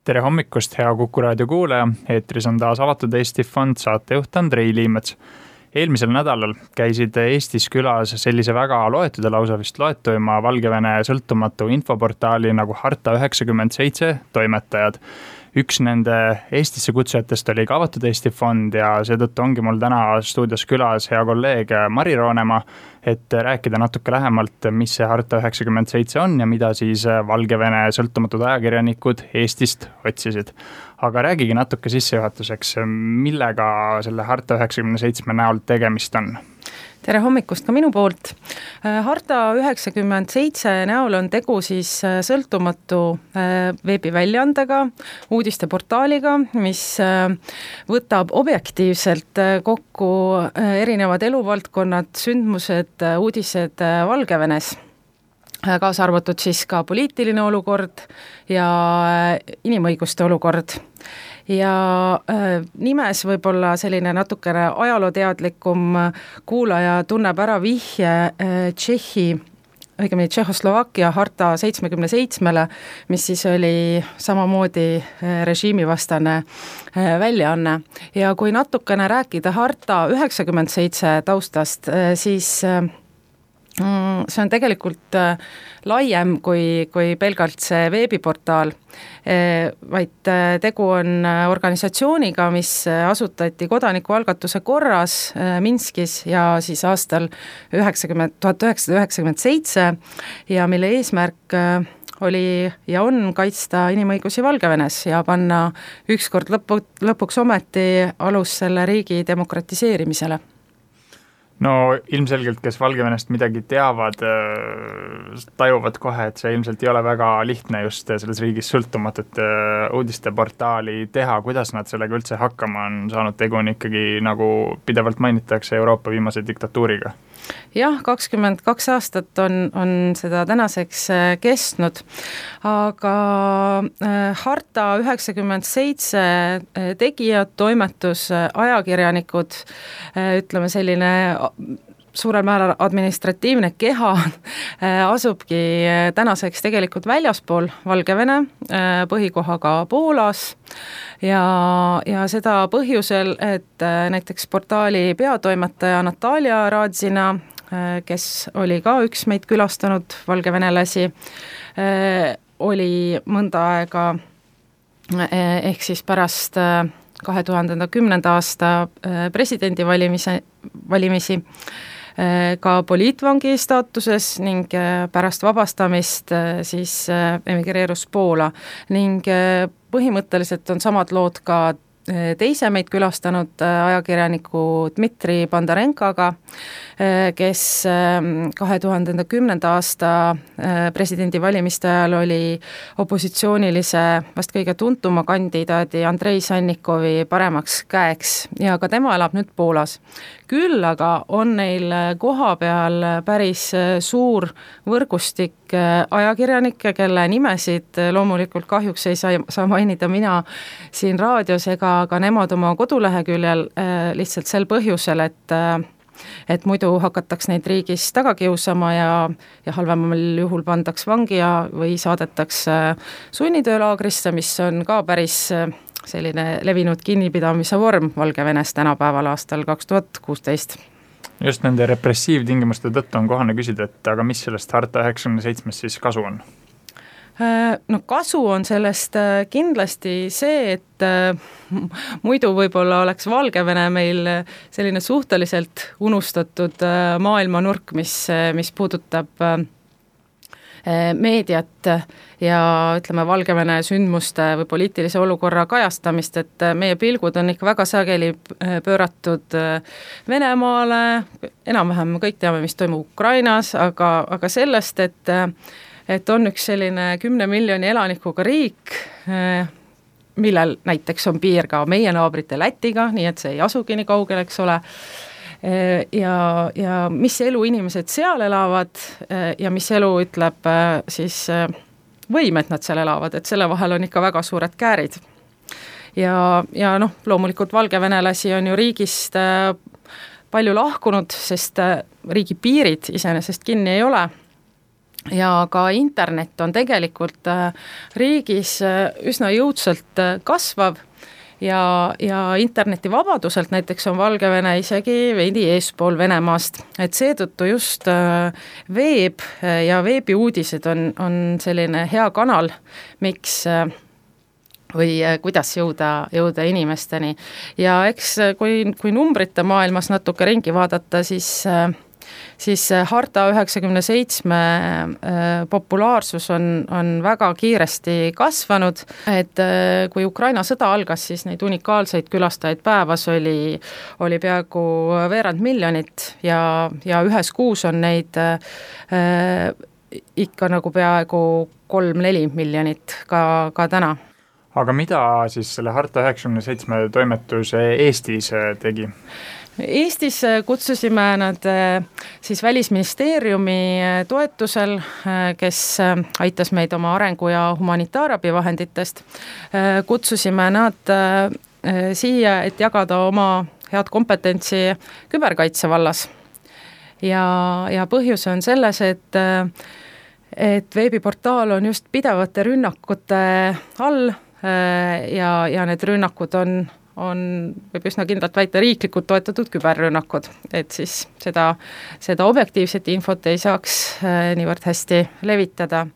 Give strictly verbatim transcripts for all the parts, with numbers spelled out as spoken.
Tere hommikust, hea Kuku raadio kuulaja. Eetris on taas Avatud Eesti Fond, saatejuht Andrei Liimets. Eelmisel nädalal käisid Eestis külas sellise väga loetud ja lausa vist loetuima Valgevene sõltumatu infoportaali nagu Harta üheksakümmend seitse toimetajad. Üks nende Eestisse kutsujatest oli ka Avatud Eesti Fond ja seetõttu ongi mul täna stuudios külas hea kolleeg Mari Roonemaa, et rääkida natuke lähemalt, mis see Harta üheksakümmend seitse on ja mida siis Valgevene sõltumatud ajakirjanikud Eestist otsisid. Aga räägigi natuke sissejuhatuseks, millega selle Harta üheksakümmend seitse näol tegemist on? Tere hommikust ka minu poolt. Harta üheksakümmend seitse näol on tegu siis sõltumatu veebiväljaandega, uudisteportaaliga, mis võtab objektiivselt kokku erinevad eluvaldkonnad, sündmused, uudised Valgevenes, kaasa arvatud siis ka poliitiline olukord ja inimõiguste olukord. Ja äh, nimes võib-olla selline natukene ajalooteadlikum kuulaja tunneb ära vihje äh, Tšehhi, õigemini Tšehhoslovakkia Harta seitsmekümne seitsmele, mis siis oli samamoodi äh, režiimivastane äh, väljaanne. Ja kui natukene rääkida Harta üheksakümmend seitse taustast, äh, siis äh, see on tegelikult laiem kui, kui pelgalt see veebiportaal, vaid tegu on organisatsiooniga, mis asutati kodanikualgatuse korras Minskis ja siis aastal tuhat üheksasada üheksakümmend seitse ja mille eesmärk oli ja on kaitsta inimõigusi Valgevenes ja panna ükskord lõpu, lõpuks ometi alus selle riigi demokratiseerimisele. No ilmselgelt, kes Valgevenest midagi teavad, tajuvad kohe, et see ilmselt ei ole väga lihtne just selles riigis sõltumatut uudisteportaali teha. Kuidas nad sellega üldse hakkama on saanud? Tegu on ikkagi, nagu pidevalt mainitakse, Euroopa viimase diktatuuriga. Jah, kakskümmend kaks aastat on, on seda tänaseks kestnud, aga Harta üheksakümmend seitse tegijad, toimetus, ajakirjanikud, ütleme selline suurel määral administratiivne keha asubki tänaseks tegelikult väljaspool Valgevene, põhikohaga Poolas ja, ja seda põhjusel, et näiteks portaali peatoimetaja Natalia Radzina, kes oli ka üks meid külastanud valgevenelasi, oli mõnda aega ehk siis pärast kahe tuhande kümnenda aasta presidendi valimise, valimisi ka poliitvangi staatuses ning pärast vabastamist siis emigreerus Poola ning põhimõtteliselt on samad lood ka teise meid külastanud ajakirjaniku Dmitri Bandarenkaga, kes kahe tuhande kümnenda aasta presidendi valimiste ajal oli opositsioonilise vast kõige tuntuma kandidaadi Andrei Sannikovi paremaks käeks ja ka tema elab nüüd Poolas. Küll aga on neil koha peal päris suur võrgustik ajakirjanikke, kelle nimesid loomulikult kahjuks ei saa, saa mainida mina siin raadios ega ka nemad oma koduleheküljel lihtsalt sel põhjusel, et et muidu hakataks neid riigis taga kiusama ja, ja halvemal juhul pandaks vangi ja, või saadetaks sunnitöölaagrisse, mis on ka päris selline levinud kinnipidamise vorm Valgevenes tänapäeval aastal kaks tuhat kuusteist. Just nende repressiivtingimuste tõttu on kohane küsida, et aga mis sellest Harta üheksakümmend seitse siis kasu on? No kasu on sellest kindlasti see, et muidu võib-olla oleks Valgevene meil selline suhteliselt unustatud maailmanurk, mis, mis puudutab meediat ja ütleme Valgevene sündmuste või poliitilise olukorra kajastamist, et meie pilgud on ikka väga sageli pööratud Venemaale, enam-vähem kõik teame, mis toimub Ukrainas, aga, aga sellest, et et on üks selline kümne miljoni elanikuga riik, millel näiteks on piir ka meie naabrite Lätiga, nii et see ei asugi nii kaugel, eks ole, ja, ja mis elu inimesed seal elavad ja mis elu ütleb siis võim, et nad seal elavad, et selle vahel on ikka väga suured käärid. Ja, ja noh, loomulikult valgevenelasi on ju riigist palju lahkunud, sest riigi piirid iseenesest kinni ei ole. ja ka internet on tegelikult riigis üsna jõudsalt kasvav ja, ja internetivabaduselt näiteks on Valgevene isegi veidi eespool Venemaast, et seetõttu just veeb ja veebiuudised on, on selline hea kanal, miks või kuidas jõuda, jõuda inimesteni. Ja eks kui, kui numbrite maailmas natuke ringi vaadata, siis siis Harta üheksakümne seitsme populaarsus on, on väga kiiresti kasvanud, et kui Ukraina sõda algas, siis neid unikaalseid külastajaid päevas oli, oli peaaegu veerand miljonit ja, ja ühes kuus on neid äh, ikka nagu peaaegu kolm-neli miljonit ka, ka täna. Aga mida siis selle Harta üheksakümne seitsme toimetus Eestis tegi? Eestis kutsusime nad siis Välisministeeriumi toetusel, kes aitas meid oma arengu- ja humanitaarabivahenditest. Kutsusime nad siia, et jagada oma head kompetentsi küberkaitse vallas. Ja, ja põhjus on selles, et, et veebiportaal on just pidevate rünnakute all ja, ja need rünnakud on on, võib üsna kindlalt väita, riiklikult toetatud küberrünnakud, et siis seda, seda objektiivset infot ei saaks niivõrd hästi levitada.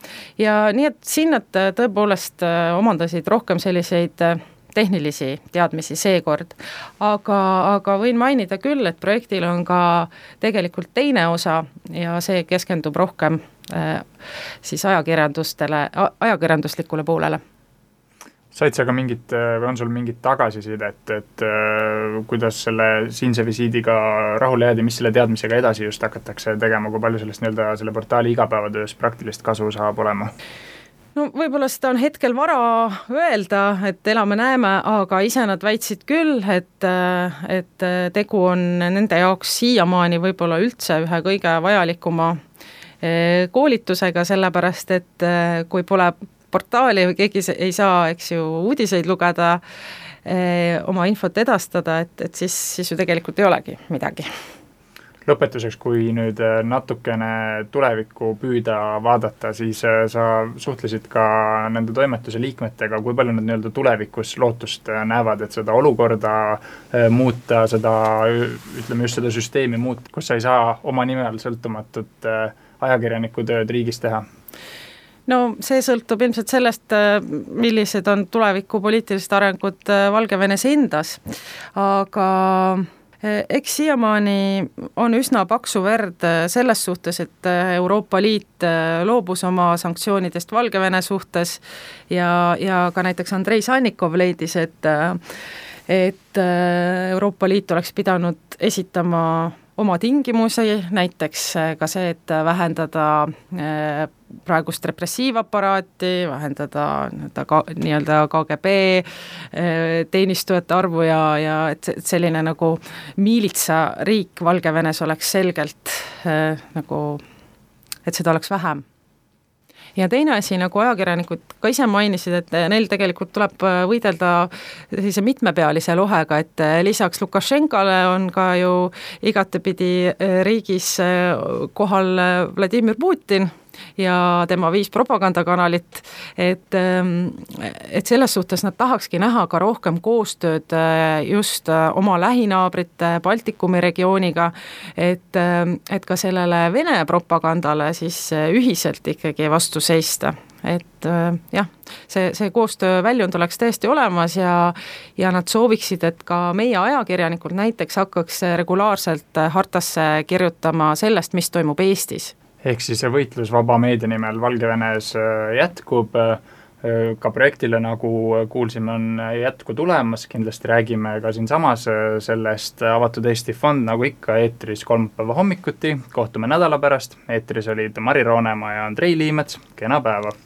Ja nii, et siin nad tõepoolest omandasid rohkem selliseid tehnilisi teadmisi seekord, aga, aga võin mainida küll, et projektil on ka tegelikult teine osa ja see keskendub rohkem siis ajakirjandustele, ajakirjanduslikule poolele. Said sa ka mingit, või on sul mingit tagasisidet, et, et kuidas selle siinse visiidiga rahule jäädi, mis selle teadmisega edasi just hakatakse tegema, kui palju sellest nii-öelda selle portaali igapäevatöös praktilist kasu saab olema? No võib-olla seda on hetkel vara öelda, et elame-näeme, aga ise nad väitsid küll, et, et tegu on nende jaoks siiamaani võib-olla üldse ühe kõige vajalikuma koolitusega, sellepärast et kui pole portaali või keegi ei saa, eks ju, uudiseid lugeda, eh, oma infot edastada, et, et siis, siis ju tegelikult ei olegi midagi. Lõpetuseks, kui nüüd natukene tulevikku püüda vaadata, siis sa suhtlesid ka nende toimetuse liikmetega, kui palju nad nii-öelda tulevikus lootust näevad, et seda olukorda muuta, seda, ütleme just seda süsteemi muuta, kus sa ei saa oma nime all sõltumatut ajakirjaniku tööd riigis teha? No see sõltub ilmselt sellest, millised on tuleviku poliitilised arengud Valgevenes endas, aga eks siiamaani on üsna paksu verd selles suhtes, et Euroopa Liit loobus oma sanktsioonidest Valgevene suhtes ja, ja ka näiteks Andrei Sannikov leidis, et, et Euroopa Liit oleks pidanud esitama oma tingimusi, näiteks ka see, et vähendada praegust repressiivaparaati, vähendada nii-öelda K G B teenistujate arvu ja, ja et selline nagu miilitsa riik Valgevenes oleks selgelt nagu, et seda oleks vähem. Ja teine asi, nagu ajakirjanikud ka ise mainisid, et neil tegelikult tuleb võidelda sellise mitmepealise lohega, et lisaks Lukašenkale on ka ju igatepidi riigis kohal Vladimir Putin ja tema viis propagandakanalit, et, et selles suhtes nad tahakski näha ka rohkem koostööd just oma lähinaabrite Baltikumi regiooniga, et, et ka sellele Vene propagandale siis ühiselt ikkagi vastu seista. Et jah, see, see koostöö väljund oleks tõesti olemas ja, ja nad sooviksid, et ka meie ajakirjanikud näiteks hakkaks regulaarselt Hartasse kirjutama sellest, mis toimub Eestis. Ehk siis see võitlus vaba meedia nimel Valgevenes jätkub, ka projektile, nagu kuulsime, on jätku tulemas, kindlasti räägime ka siin samas sellest Avatud Eesti Fond, nagu ikka eetris kolmapäeva hommikuti, kohtume nädala pärast, eetris olid Mari Roonemaa ja Andrei Liimets, kena päeva!